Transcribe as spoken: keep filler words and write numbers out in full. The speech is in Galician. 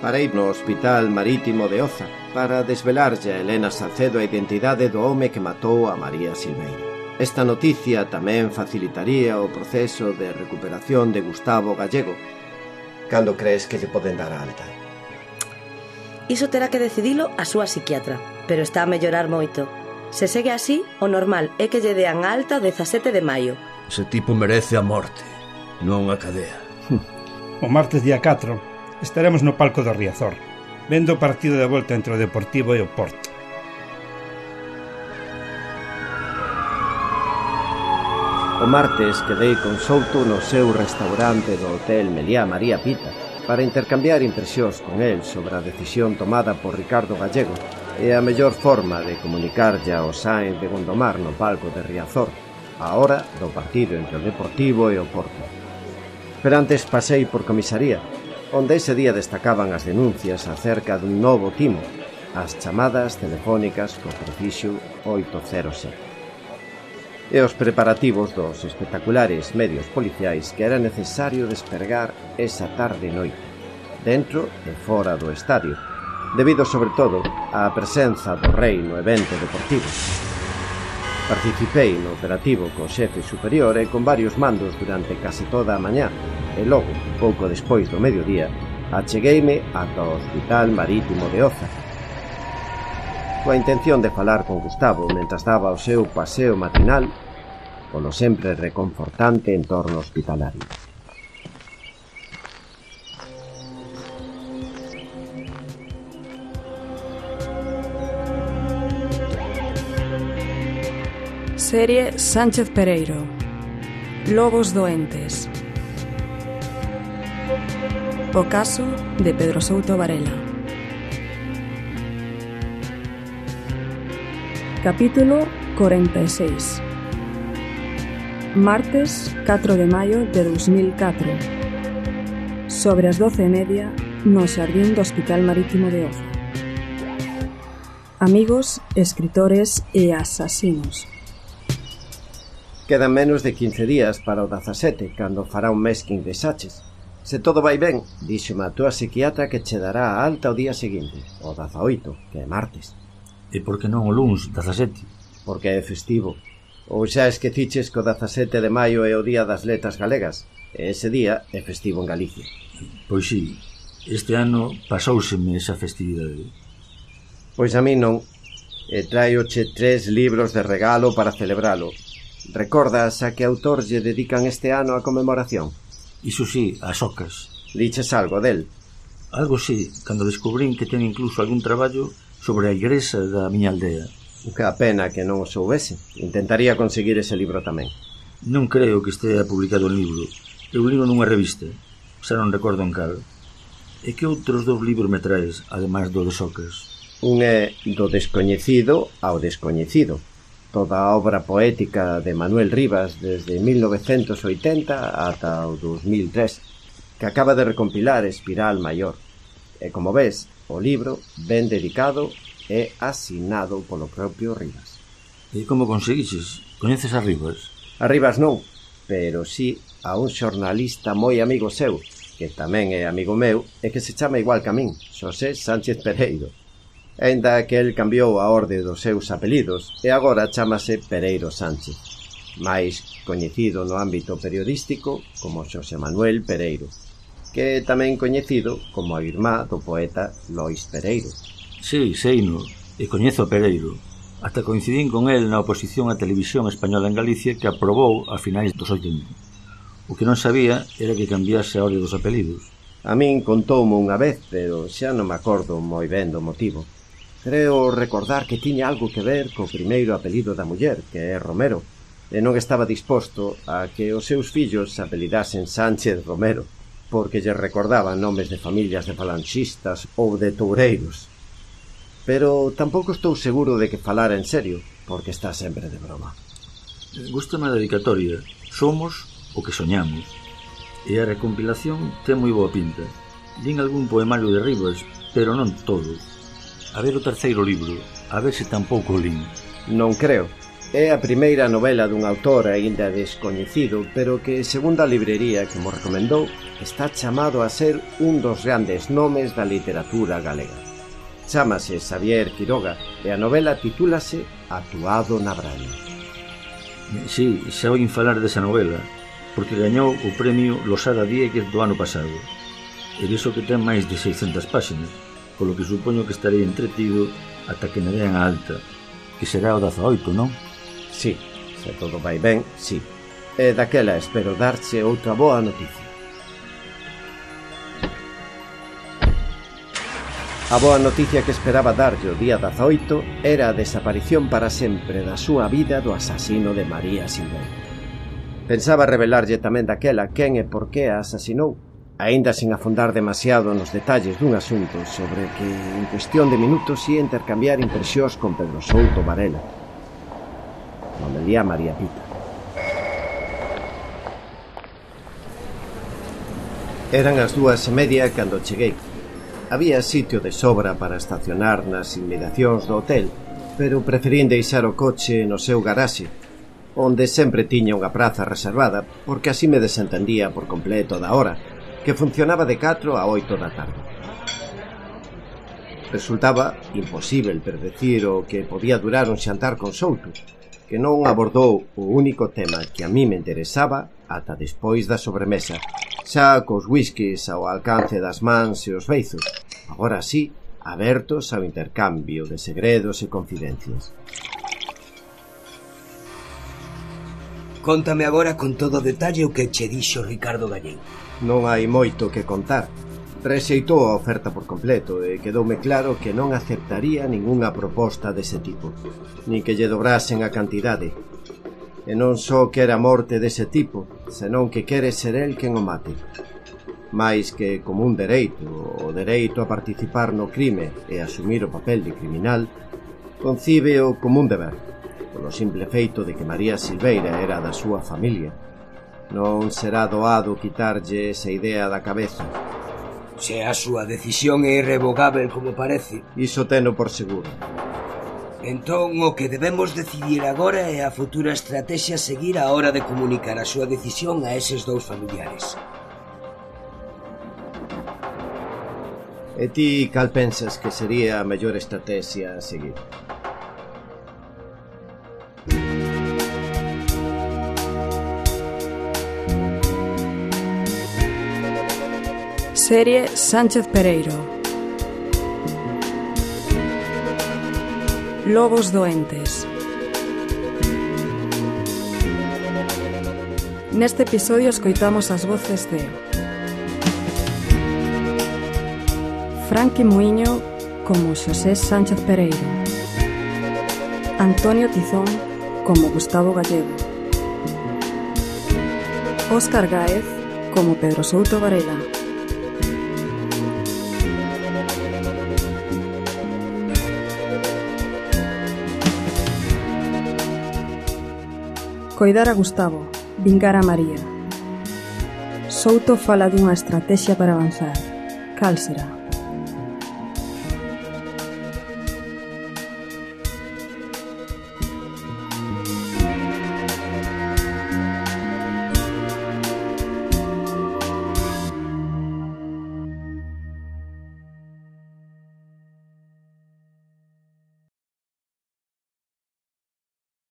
Parei no Hospital Marítimo de Oza para desvelarlle a Elena Salcedo a identidade do home que matou a María Silveira. Esta noticia tamén facilitaría o proceso de recuperación de Gustavo Gallego. Cando crees que lle poden dar a alta? Iso terá que decidilo a súa psiquiatra, pero está a mellorar moito. Se segue así, o normal é que lle dean a alta o dezasete de maio. Ese tipo merece a morte, non a cadea. O martes día catro estaremos no palco do Riazor, vendo o partido de volta entre o Deportivo e o Porto. O martes quedei con Souto no seu restaurante do Hotel Meliá María Pita para intercambiar impresións con el sobre a decisión tomada por Ricardo Gallego e a mellor forma de comunicarlle ao Sáenz de Gondomar no palco de Riazor a hora do partido entre o Deportivo e o Porto. Pero antes pasei por comisaría, onde ese día destacaban as denuncias acerca dun novo timo, as chamadas telefónicas co prefixo oito cero sete, e os preparativos dos espectaculares medios policiais que era necesario despergar esa tarde e noite, dentro e fora do estadio, debido sobre todo á presenza do rei no evento deportivo. Participei no operativo co xefe superior e con varios mandos durante case toda a mañá, e logo, pouco despois do mediodía, achegueime ata o Hospital Marítimo de Oza, coa intención de falar con Gustavo mentras daba o seu paseo matinal polo sempre reconfortante entorno hospitalario. Serie Sánchez Pereiro. Lobos doentes. O caso de Pedro Souto Varela. Capítulo cuarenta y seis. Martes catro de maio de dos mil catro. Sobre as doce e media no xardín do Hospital Marítimo de Oza. Amigos, escritores e asasinos. Quedan menos de quince días para o dezasete, cando fará un mes que ingresaches. Se todo vai ben, díxome a túa psiquiatra que che dará a alta o día seguinte, o dezaoito, que é martes. E por que non o luns, dezasete? Porque é festivo. Ou xa esqueciches que o dezasete de maio é o día das letras galegas, e ese día é festivo en Galicia. Pois sí, este ano pasouseme esa festividade. Pois a mí non, e traioche tres libros de regalo para celebralo. Recordas a que autor lle dedican este ano a conmemoración? Iso sí, as ocas. Liches algo del? Algo sí, cando descubrín que ten incluso algún traballo sobre a igrexa da miña aldea. Que a pena que non o soubese. Intentaría conseguir ese libro tamén. Non creo que estea publicado en libro. Eu ligo nunha revista, xa non recordo en cal. E que outros dous libros me traes, ademais do de Socas? Un é do descoñecido ao descoñecido. Toda a obra poética de Manuel Rivas desde mil novecentos oitenta ata o dos mil tres, que acaba de recompilar Espiral Maior. E como ves, o libro ben dedicado e asinado polo propio Rivas. E como conseguiches? Coñeces a Rivas? A Rivas non, pero sí a un xornalista moi amigo seu, que tamén é amigo meu e que se chama igual que a min, Xosé Sánchez Pereiro. Ainda que el cambiou a orde dos seus apelidos e agora chámase Pereiro Sánchez, máis coñecido no ámbito periodístico como Xosé Manuel Pereiro, que é tamén coñecido como a irmá do poeta Lois Pereiro. Sí, seino, e coñezo a Pereiro. Hasta coincidín con el na oposición á televisión española en Galicia que aprobou a finais dos oitenta. O que non sabía era que cambiase a orde dos apelidos. A min contoume unha vez, pero xa non me acordo moi ben do motivo. Creo recordar que tiña algo que ver co primeiro apelido da muller, que é Romero, e non estaba disposto a que os seus fillos se apelidasen Sánchez Romero, porque lle recordaban nomes de familias de falanxistas ou de toureiros. Pero tampouco estou seguro de que falara en serio, porque está sempre de broma. Gústame a dedicatoria. Somos o que soñamos. E a recompilación ten moi boa pinta. Din algún poemario de Rivas, pero non todo. A ver o terceiro libro, a ver se tampouco o lin. Non creo. É a primeira novela dun autor aínda descoñecido, pero que, segundo a librería que mo recomendou, está chamado a ser un dos grandes nomes da literatura galega. Chámase Xavier Quiroga e a novela titúlase Atuado na Braña. Sí, xa oín falar desa novela, porque gañou o premio Losada Dieguez do ano pasado. E viso que ten máis de seiscentas páxinas, polo que supoño que estarei entretido ata que me den a alta, que será o dezaoito, non? Sí, se todo vai ben, sí. E daquela espero darche outra boa noticia. A boa noticia que esperaba darlle o día dezaoito era a desaparición para sempre da súa vida do asasino de María Silveira. Pensaba revelarlle tamén daquela quen e por que a asasinou, aínda sin afondar demasiado nos detalles dun asunto sobre que en cuestión de minutos ia intercambiar impresións con Pedro Souto Varela. Nomelia María Pita. Eran as dúas e media cando cheguei. Había sitio de sobra para estacionar nas inmediacións do hotel, pero preferín deixar o coche no seu garaxe, onde sempre tiña unha praza reservada, porque así me desentendía por completo da hora, que funcionaba de catro a oito da tarde. Resultaba imposível predecir o que podía durar un xantar con Souto, que non abordou o único tema que a mí me interesaba ata despois da sobremesa, xa cos whiskies ao alcance das mans e os beizos, agora sí, abertos ao intercambio de segredos e confidencias. Cóntame agora con todo detalle o que che dixo Ricardo Gallego. Non hai moito que contar. Rexeitou a oferta por completo e quedoume claro que non aceptaría ningunha proposta dese tipo, nin que lle dobrasen a cantidade. E non só quere a morte dese tipo, senón que quere ser el quen o mate. Mais que como un dereito, o dereito a participar no crime e asumir o papel de criminal, concíbeo como un deber, polo simple feito de que María Silveira era da súa familia. Non será doado quitarlle esa idea da cabeza. Se a súa decisión é irrevogável como parece, iso teno por seguro. Entón o que debemos decidir agora é a futura estrategia a seguir á hora de comunicar a súa decisión a eses dous familiares. E ti cal pensas que sería a mellor estrategia a seguir? Serie Sánchez Pereiro. Lobos doentes. Neste episodio escoitamos as voces de Franqui Muiño como Xosé Sánchez Pereiro, Antonio Tizón como Gustavo Gallego, Óscar Gáez como Pedro Souto Varela, Coidar a Gustavo, vingar a María. Souto fala dunha estrategia para avanzar. Cal será?